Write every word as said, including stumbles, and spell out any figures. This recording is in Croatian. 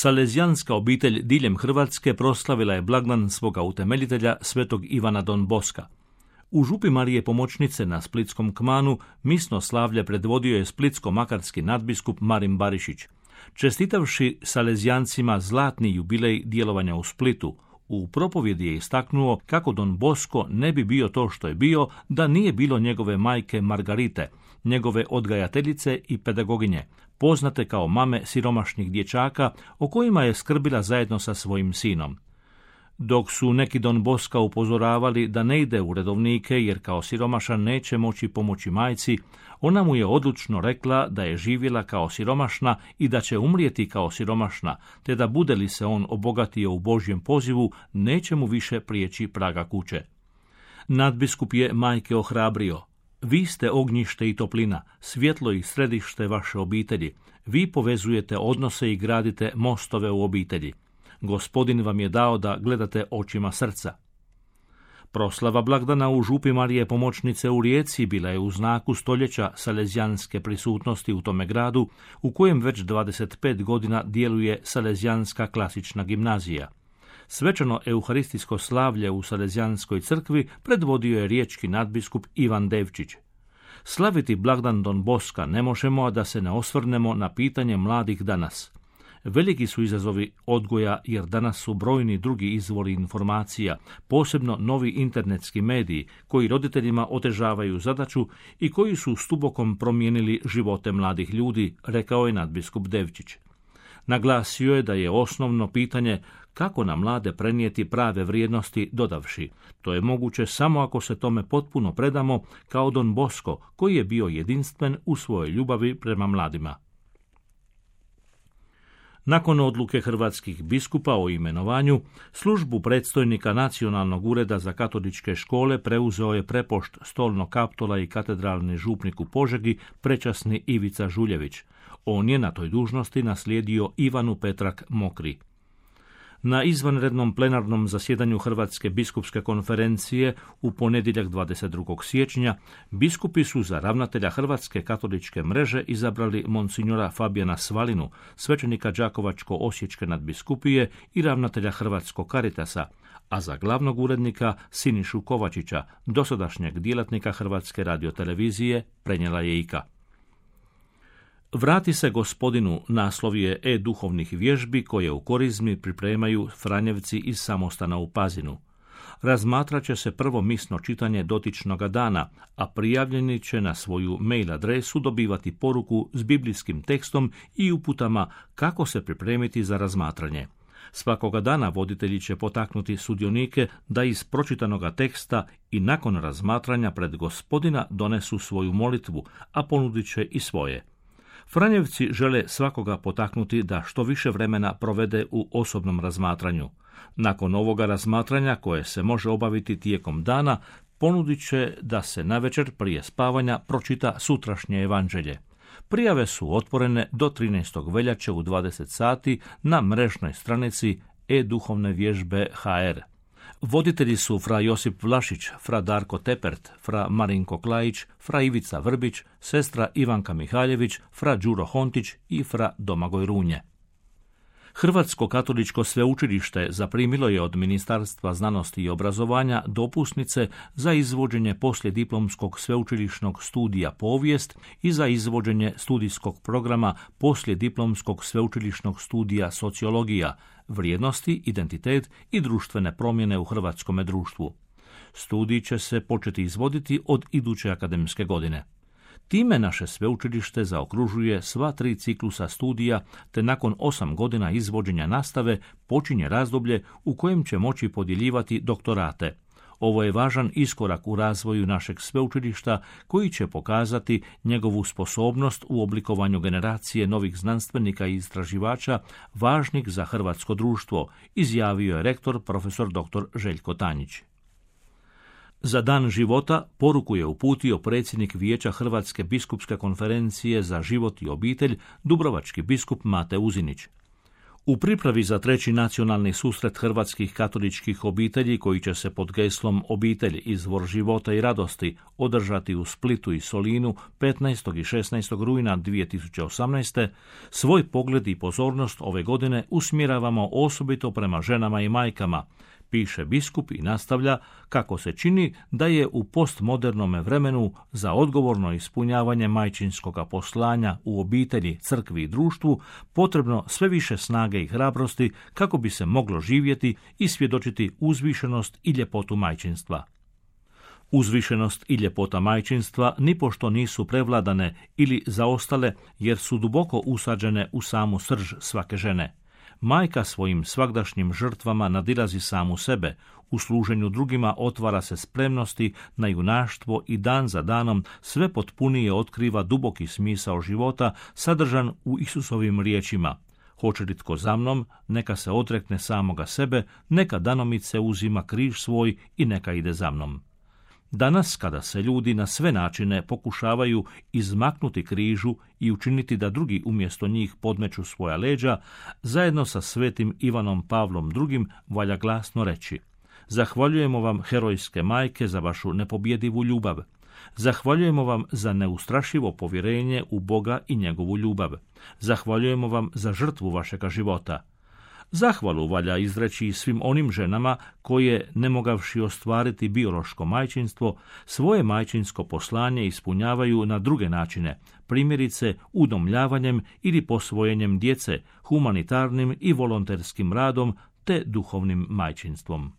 Salezijanska obitelj diljem Hrvatske proslavila je blagdan svoga utemeljitelja svetog Ivana Don Boska. U župi Marije Pomoćnice na Splitskom Kmanu misno slavlje predvodio je splitsko-makarski nadbiskup Marin Barišić. Čestitavši Salezijancima zlatni jubilej djelovanja u Splitu, u propovjedi je istaknuo kako Don Bosko ne bi bio to što je bio da nije bilo njegove majke Margarite, njegove odgajateljice i pedagoginje, poznate kao mame siromašnih dječaka o kojima je skrbila zajedno sa svojim sinom. Dok su neki Don Boska upozoravali da ne ide u redovnike jer kao siromašan neće moći pomoći majci, ona mu je odlučno rekla da je živjela kao siromašna i da će umrijeti kao siromašna, te da bude li se on obogatio u Božjem pozivu, neće mu više prijeći praga kuće. Nadbiskup je majke ohrabrio. Vi ste ognjište i toplina, svjetlo i središte vaše obitelji. Vi povezujete odnose i gradite mostove u obitelji. Gospodin vam je dao da gledate očima srca. Proslava blagdana u župi Marije Pomoćnice u Rijeci bila je u znaku stoljeća salezijanske prisutnosti u tome gradu, u kojem već dvadeset pet godina djeluje Salezijanska klasična gimnazija. Svečano euharistijsko slavlje u Salezijanskoj crkvi predvodio je riječki nadbiskup Ivan Devčić. Slaviti blagdan Don Boska ne možemo, a da se ne osvrnemo na pitanje mladih danas. Veliki su izazovi odgoja jer danas su brojni drugi izvori informacija, posebno novi internetski mediji koji roditeljima otežavaju zadaću i koji su stubokom promijenili živote mladih ljudi, rekao je nadbiskup Devčić. Naglasio je da je osnovno pitanje kako na mlade prenijeti prave vrijednosti, dodavši: to je moguće samo ako se tome potpuno predamo kao Don Bosko, koji je bio jedinstven u svojoj ljubavi prema mladima. Nakon odluke hrvatskih biskupa o imenovanju, službu predstojnika Nacionalnog ureda za katoličke škole preuzeo je prepošt Stolnog Kaptola i katedralni župnik u Požegi, prečasni Ivica Žuljević. On je na toj dužnosti naslijedio Ivanu Petrak Mokri. Na izvanrednom plenarnom zasjedanju Hrvatske biskupske konferencije u ponedjeljak dvadeset drugog siječnja biskupi su za ravnatelja Hrvatske katoličke mreže izabrali monsinjora Fabijana Svalinu, svećenika Đakovačko-osječke nadbiskupije i ravnatelja Hrvatskog Karitasa, a za glavnog urednika Sinišu Kovačića, dosadašnjeg djelatnika Hrvatske radiotelevizije, prenijela je Ika. Vrati se gospodinu naslov je e-duhovnih vježbi koje u Korizmi pripremaju Franjevci iz samostana u Pazinu. Razmatrat će se prvo misno čitanje dotičnoga dana, a prijavljeni će na svoju mail adresu dobivati poruku s biblijskim tekstom i uputama kako se pripremiti za razmatranje. Svakoga dana voditelji će potaknuti sudionike da iz pročitanoga teksta i nakon razmatranja pred gospodina donesu svoju molitvu, a ponudit će i svoje. Franjevci žele svakoga potaknuti da što više vremena provede u osobnom razmatranju. Nakon ovoga razmatranja, koje se može obaviti tijekom dana, ponudit će da se navečer prije spavanja pročita sutrašnje evanđelje. Prijave su otvorene do trinaestog veljače u dvadeset sati na mrežnoj stranici e-duhovne vježbe ha er. Voditelji su fra Josip Vlašić, fra Darko Tepert, fra Marinko Klajić, fra Ivica Vrbić, sestra Ivanka Mihaljević, fra Đuro Hontić i fra Domagoj Runje. Hrvatsko katoličko sveučilište zaprimilo je od Ministarstva znanosti i obrazovanja dopusnice za izvođenje poslijediplomskog sveučilišnog studija povijest i za izvođenje studijskog programa poslijediplomskog sveučilišnog studija sociologija, vrijednosti, identitet i društvene promjene u hrvatskome društvu. Studij će se početi izvoditi od iduće akademske godine. Time naše sveučilište zaokružuje sva tri ciklusa studija, te nakon osam godina izvođenja nastave počinje razdoblje u kojem će moći podjeljivati doktorate. Ovo je važan iskorak u razvoju našeg sveučilišta koji će pokazati njegovu sposobnost u oblikovanju generacije novih znanstvenika i istraživača važnih za hrvatsko društvo, izjavio je rektor profesor doktor Željko Tanjić. Za dan života poruku je uputio predsjednik Vijeća Hrvatske biskupske konferencije za život i obitelj, dubrovački biskup Mate Uzinić. U pripravi za treći nacionalni susret hrvatskih katoličkih obitelji, koji će se pod geslom Obitelj, izvor života i radosti, održati u Splitu i Solinu petnaestog i šesnaestog rujna dvije tisuće osamnaeste. svoj pogled i pozornost ove godine usmjeravamo osobito prema ženama i majkama, piše biskup i nastavlja kako se čini da je u postmodernom vremenu za odgovorno ispunjavanje majčinskoga poslanja u obitelji, crkvi i društvu potrebno sve više snage i hrabrosti kako bi se moglo živjeti i svjedočiti uzvišenost i ljepotu majčinstva. Uzvišenost i ljepota majčinstva nipošto nisu prevladane ili zaostale jer su duboko usađene u samu srž svake žene. Majka svojim svagdašnjim žrtvama nadilazi samu sebe, u služenju drugima otvara se spremnosti na junaštvo i dan za danom sve potpunije otkriva duboki smisao života sadržan u Isusovim riječima. Hoće li tko za mnom, neka se odrekne samoga sebe, neka danomice uzima križ svoj i neka ide za mnom. Danas, kada se ljudi na sve načine pokušavaju izmaknuti križu i učiniti da drugi umjesto njih podmeću svoja leđa, zajedno sa svetim Ivanom Pavlom drugim valja glasno reći: zahvaljujemo vam, herojske majke, za vašu nepobjedivu ljubav. Zahvaljujemo vam za neustrašivo povjerenje u Boga i njegovu ljubav. Zahvaljujemo vam za žrtvu vašega života. Zahvalu valja izreći i svim onim ženama koje, ne mogavši ostvariti biološko majčinstvo, svoje majčinsko poslanje ispunjavaju na druge načine, primjerice udomljavanjem ili posvojenjem djece, humanitarnim i volonterskim radom te duhovnim majčinstvom.